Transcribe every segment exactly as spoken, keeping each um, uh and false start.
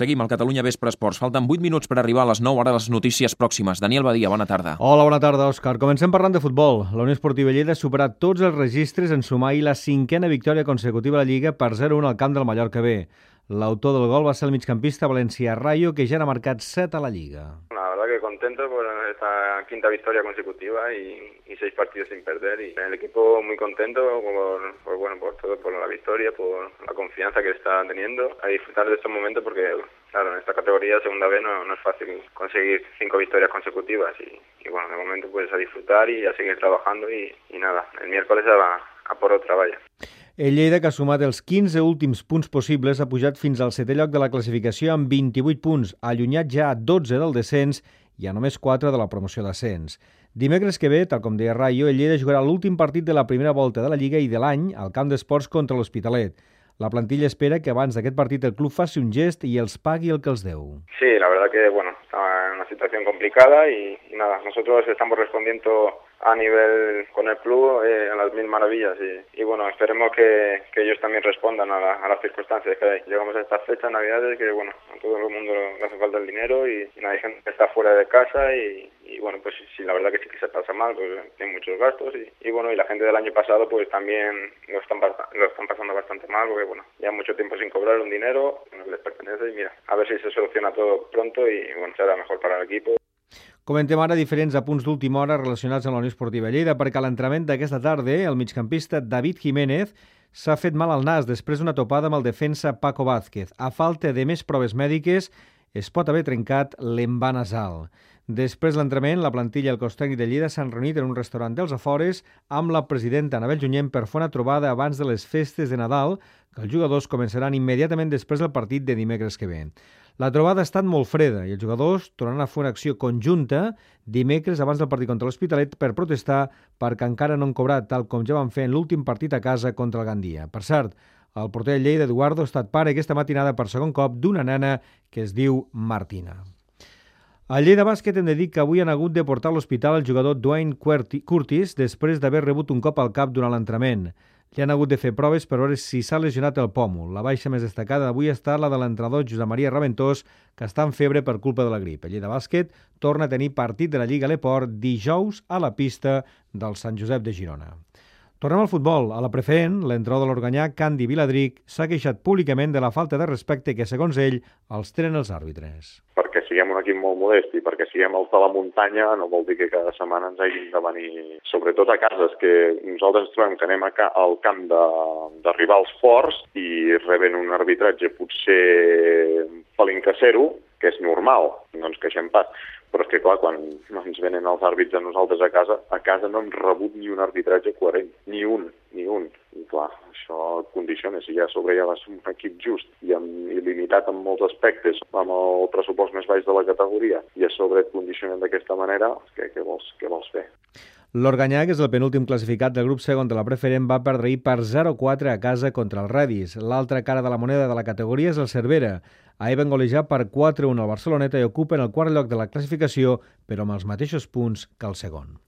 Seguim al Catalunya Vespre Esports. Falten vuit minuts per arribar a les nou, ara les notícies pròximes. Daniel Badia, bona tarda. Hola, bona tarda, Òscar. Comencem parlant de futbol. La Unió Esportiva Lleida ha superat tots els registres en sumar ahir la cinquena victòria consecutiva a la Lliga per zero a un al camp del Mallorca B. L'autor del gol va ser el migcampista Valencia Rayo, que ja n'ha marcat set a la Lliga. La verdad que contento por esta quinta victoria consecutiva y, y seis partidos sin perder. Y el equipo muy contento por, por, bueno, por todo, por la victoria, por la confianza que está teniendo. A disfrutar de estos momentos porque, claro, en esta categoría segunda B no, no es fácil conseguir cinco victorias consecutivas. Y, y bueno, de momento pues a disfrutar y a seguir trabajando y, y nada, el miércoles a, a por otra valla. El Lleida, que ha sumat els quinze últims punts possibles, ha pujat fins al setè lloc de la classificació amb vint-i-vuit punts, allunyat ja a dotze del descens i a només quatre de la promoció d'ascens. Dimecres que ve, tal com deia Rayo, el Lleida jugarà l'últim partit de la primera volta de la Lliga i de l'any al camp d'esports contra l'Hospitalet. La plantilla espera que abans d'aquest partit el club faci un gest i els pagui el que els deu. Sí, la verdad que, bueno, está en una situación complicada y, y nada, nosotros estamos respondiendo a nivel con el club eh, a las mil maravillas y, y bueno, esperemos que, que ellos también respondan a, la, a las circunstancias que hay. Llegamos a estas fechas, navidades, que bueno, a todo el mundo le hace falta el dinero y, y hay gente que está fuera de casa y, y bueno, pues sí, la verdad que sí que se pasa mal, pues tiene muchos gastos y, y bueno, y la gente del año pasado pues también lo están, lo están pasando bastante mal porque bueno, ya mucho tiempo sin cobrar un dinero que no les pertenece y mira, a ver si se soluciona todo pronto y bueno, será mejor para el equipo. Comentem ara diferents apunts d'última hora relacionats amb la Unió Esportiva Lleida, perquè a l'entrenament d'aquesta tarda el migcampista David Jiménez s'ha fet mal al nas després d'una topada amb el defensa Paco Vázquez. A falta de més proves mèdiques, es pot haver trencat l'envà nasal. Després de l'entrenament, la plantilla i el cos tècnic de Lleida s'han reunit en un restaurant dels afores amb la presidenta Anabel Junyent per fer una trobada abans de les festes de Nadal, que els jugadors començaran immediatament després del partit de dimecres que ve. La trobada ha estat molt freda i els jugadors tornaran a fer una acció conjunta dimecres abans del partit contra l'Hospitalet per protestar perquè encara no han cobrat, tal com ja van fer en l'últim partit a casa contra el Gandia. Per cert, el porter de Lleida, Eduardo, ha estat pare aquesta matinada per segon cop d'una nena que es diu Martina. Al Lleida Bàsquet hem de dir que avui han hagut de portar a l'hospital el jugador Dwayne Curtis després d'haver rebut un cop al cap durant l'entrenament. Li han hagut de fer proves per veure si s'ha lesionat el pòmul. La baixa més destacada d'avui ha estat la de l'entrenador Josep Maria Raventós, que està en febre per culpa de la grip. El Lleida Bàsquet torna a tenir partit de la Lliga a l'Eport dijous a la pista del Sant Josep de Girona. Tornem al futbol. A la preferent, l'entrenador de l'Organyà, Candi Viladric, s'ha queixat públicament de la falta de respecte que, segons ell, els tenen els àrbitres. Perquè siguem un equip molt modest i perquè siguem els de la muntanya no vol dir que cada setmana ens hagin de venir, sobretot a cases, que nosaltres ens trobem que anem a ca al camp de, de rivals forts i reben un arbitratge potser pelín casero, que és normal, no ens queixem pas. Però és que, clar, quan ens venen els àrbits a nosaltres a casa, a casa no hem rebut ni un arbitratge coherent, ni un, ni un. I clar, això condiciona, si ja a sobre ja va ser un equip just i, amb, i limitat en molts aspectes, amb el pressupost més baix de la categoria, i a sobre et condicionen d'aquesta manera, què, què, vols, què vols fer? L'Organyà, que és el penúltim classificat del grup segon de la preferent, va perdre ahir per zero a quatre a casa contra el Redis. L'altra cara de la moneda de la categoria és el Cervera. Ahir van golejar per quatre a un al Barceloneta i ocupen el quart lloc de la classificació, però amb els mateixos punts que el segon.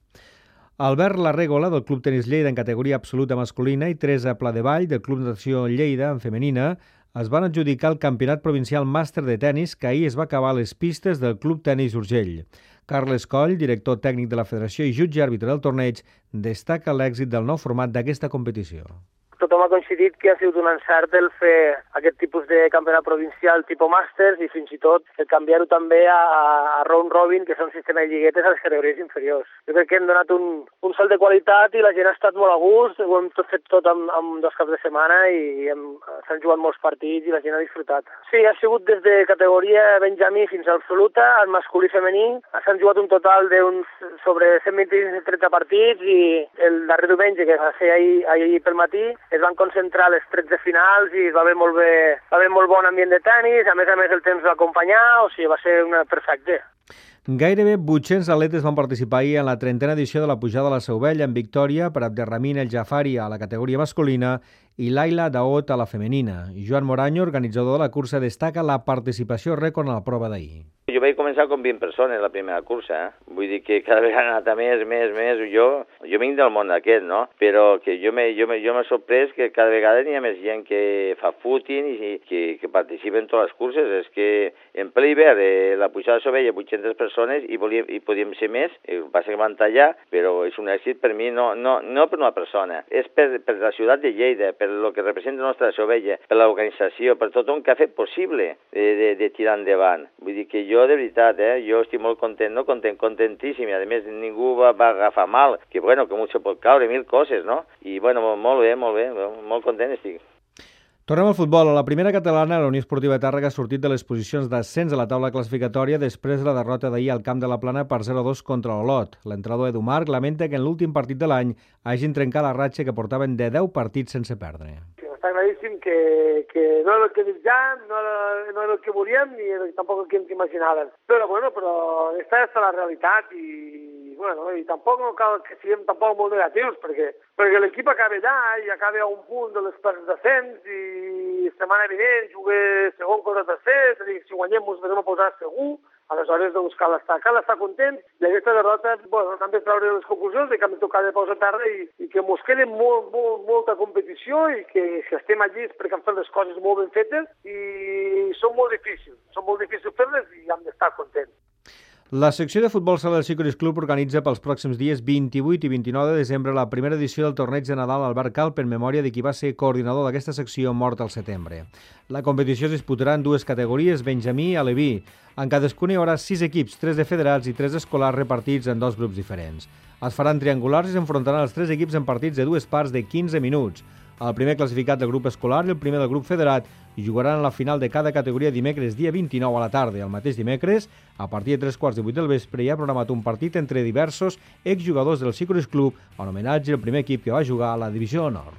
Albert Larrégola, del Club Tenis Lleida en categoria absoluta masculina, i Teresa Pladevall, del Club Natació Lleida en femenina, es van adjudicar el Campionat Provincial Màster de Tenis que ahir es va acabar a les pistes del Club Tenis Urgell. Carles Coll, director tècnic de la Federació i jutge àrbitre del torneig, destaca l'èxit del nou format d'aquesta competició. Tothom ha coincidit que ha sigut un encert el fer aquest tipus de campionat provincial tipus màsters i fins i tot el canviar-ho també a, a round robin, que són un sistema de lliguetes a les categories inferiors. Jo crec que hem donat un, un salt de qualitat i la gent ha estat molt a gust, ho hem tot fet tot amb, amb dos caps de setmana i s'han jugat molts partits i la gent ha disfrutat. Sí, ha sigut des de categoria benjamí fins a absoluta, en masculí i femení. S'han jugat un total d'uns sobre cent vint a trenta partits i el darrer diumenge, que va ser ahir, ahir pel matí, es van concentrar les tretze finals i va haver molt bé, va haver molt bon ambient de tenis, a més a més el temps va acompanyar, o sigui, va ser una perfecte. Gairebé vuit-cents atletes van participar ahir en la trentena edició de la pujada a la Seu Vella en victòria per Abderramín El Jafari a la categoria masculina i Laila Daot a la femenina. Joan Moraño, organitzador de la cursa, destaca la participació rècord en la prova d'ahir. Jo vaig començar com vint persones la primera cursa, eh? Vull dir que cada vegada ha anat a més, més, més. Jo, jo vinc del món aquest, no? Però que jo m'he jo jo sorprès que cada vegada n'hi ha més gent que fa footing i que, que participa en totes les curses. És que en ple hivern eh, la pujada de Sovella vuit-centes persones i, volíem, i podíem ser més, el que passa que van tallar, però és un èxit per mi, no, no, no per una persona, és per, per la ciutat de Lleida, per el que representa la nostra Sovella, per l'organització, per tothom que ha fet possible de, de, de tirar endavant. Vull dir que jo, de veritat, eh, jo estic molt content, no content, contentíssim, i a més ningú va, va agafar mal, que bueno, que mucho pot caure, mil coses, no? I bueno, molt bé, molt bé, molt content estic. Tornem al futbol. A la primera catalana, la Unió Esportiva Tàrrega ha sortit de les posicions d'ascens a la taula classificatòria després de la derrota d'ahir al camp de la Plana per zero a dos contra l'Olot. L'entrenador Edu Marc lamenta que en l'últim partit de l'any hagin trencat la ratxa que portaven de deu partits sense perdre. Està claríssim que, que no era el que desitjàvem, no era, no era el que volíem ni era tampoc el que ens imaginàvem. Però, bueno, però aquesta és la realitat i, bueno, i tampoc no cal que siguem tampoc molt negatius, perquè, perquè l'equip acaba allà i acaba a un punt de les parts d'ascens i setmana vinent jugue segon contra tercer, és a dir, si guanyem ens vam a posar segur. Aleshores, doncs, cal estar, cal estar content i aquesta derrota, bueno, hem de treure les conclusions de que hem de tocar de peus a terra i, i que mos quede molt, molt, molta competició i que si estem allí és perquè hem fet les coses molt ben fetes i són molt difícils, són molt difícils fer-les i hem d'estar contents. La secció de futbol sala del Sicurus Club organitza pels pròxims dies vint-i-vuit i vint-i-nou de desembre la primera edició del torneig de Nadal Albert Calp en memòria de qui va ser coordinador d'aquesta secció mort al setembre. La competició es disputarà en dues categories, Benjamí i Aleví. En cadascuna hi haurà sis equips, tres de federats i tres escolars repartits en dos grups diferents. Es faran triangulars i s'enfrontaran els tres equips en partits de dues parts de quinze minuts. El primer classificat del grup escolar i el primer del grup federat i jugaran a la final de cada categoria dimecres dia vint-i-nou a la tarda. El mateix dimecres, a partir de tres quarts de vuit del vespre, hi ha programat un partit entre diversos exjugadors del Sicurus Club en homenatge al primer equip que va jugar a la Divisió d'Honor.